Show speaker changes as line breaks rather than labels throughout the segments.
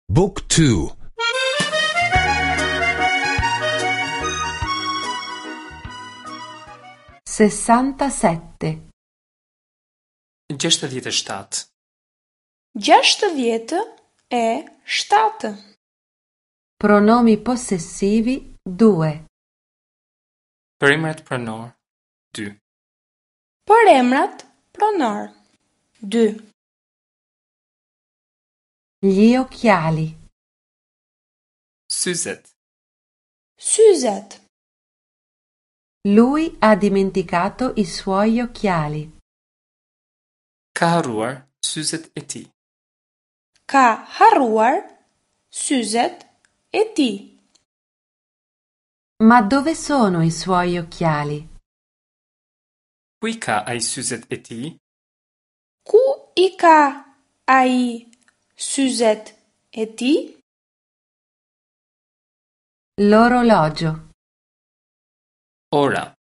Book 2
67.
67.
67.
Pronomi possessivi 2.
Përemrat pronor 2.
Përemrat pronor 2.
Gli occhiali.
Syzet.
Syzet.
Lui ha dimenticato i suoi occhiali.
Ka harruar syzet e tij.
Ka harruar syzet e tij.
Ma dove sono i suoi occhiali?
Ku i ka ai syzet e tij?
Ku i ka ai syzet e tij?
L'orologio.
Ora.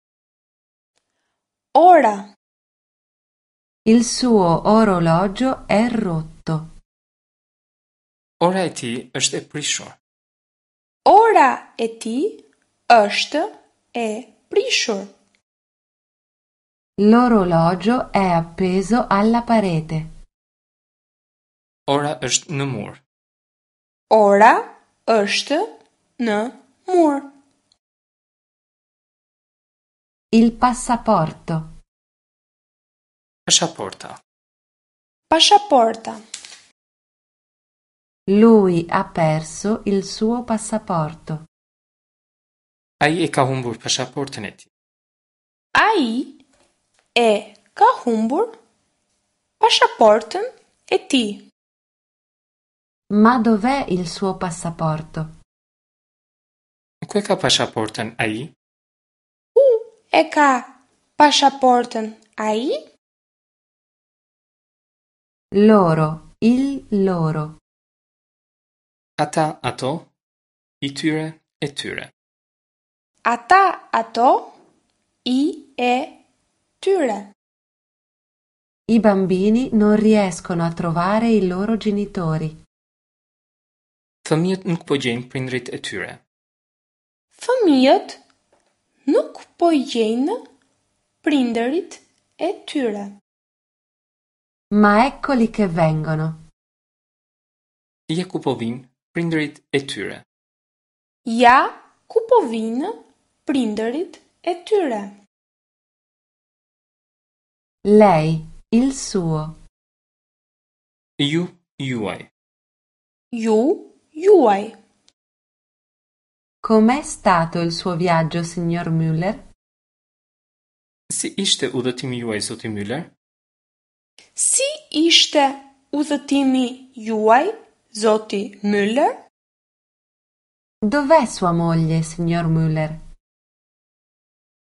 Ora.
Il suo orologio è rotto.
Ora e tij është e prishur.
Ora e tij është e prishur.
L'orologio è appeso alla parete.
Ora është në mur.
Ora është në mur.
Il passaporto.
Pashaporta.
Pashaporta.
Lui ha perso il suo passaporto.
Ai e ka humbur pashaportën e tij.
Ai e ka humbur pashaportën e tij.
Ma dov'è il suo passaporto?
Ku e ka pashaportën ai?
Ku e ka pashaportën ai?
Loro, il loro.
Ata, ato, i tyre, e tyre.
Ata, ato, i e tyre.
I bambini non riescono a trovare i loro genitori.
Fëmijët nuk po gjejnë prindërit e tyre.
Fëmijët nuk po gjejnë prindërit e tyre.
Ma eccoli che vengono.
Ja ku po vijnë prindërit e tyre.
Ja ku po vijnë prindërit e tyre.
Lei, il suo.
Ju, juaj.
Ju, juaj.
Com'è stato il suo viaggio, signor Müller?
Si ishte udhëtimi juaj, zoti Müller?
Si ishte udhëtimi juaj, zoti Müller?
Dov'è sua moglie, signor Müller?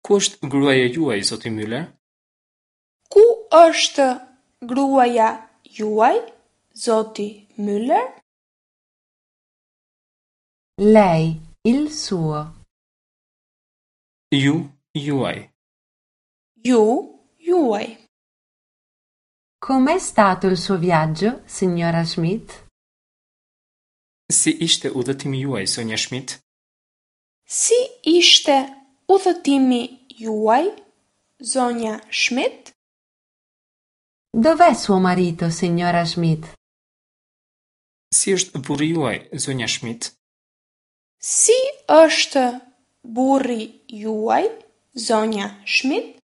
Ku është gruaja juaj, zoti Müller?
Ku është gruaja juaj, zoti Müller?
Lei, il suo.
Ju, juaj.
Ju, juaj.
Com'è stato il suo viaggio, signora Schmidt?
Si ishte udhëtimi juaj, zonja Schmidt?
Si ishte udhëtimi juaj, zonja Schmidt?
Dov'è suo marito, signora Schmidt?
Si është burri juaj, zonja Schmidt?
Si është burri juaj, zonja Schmidt?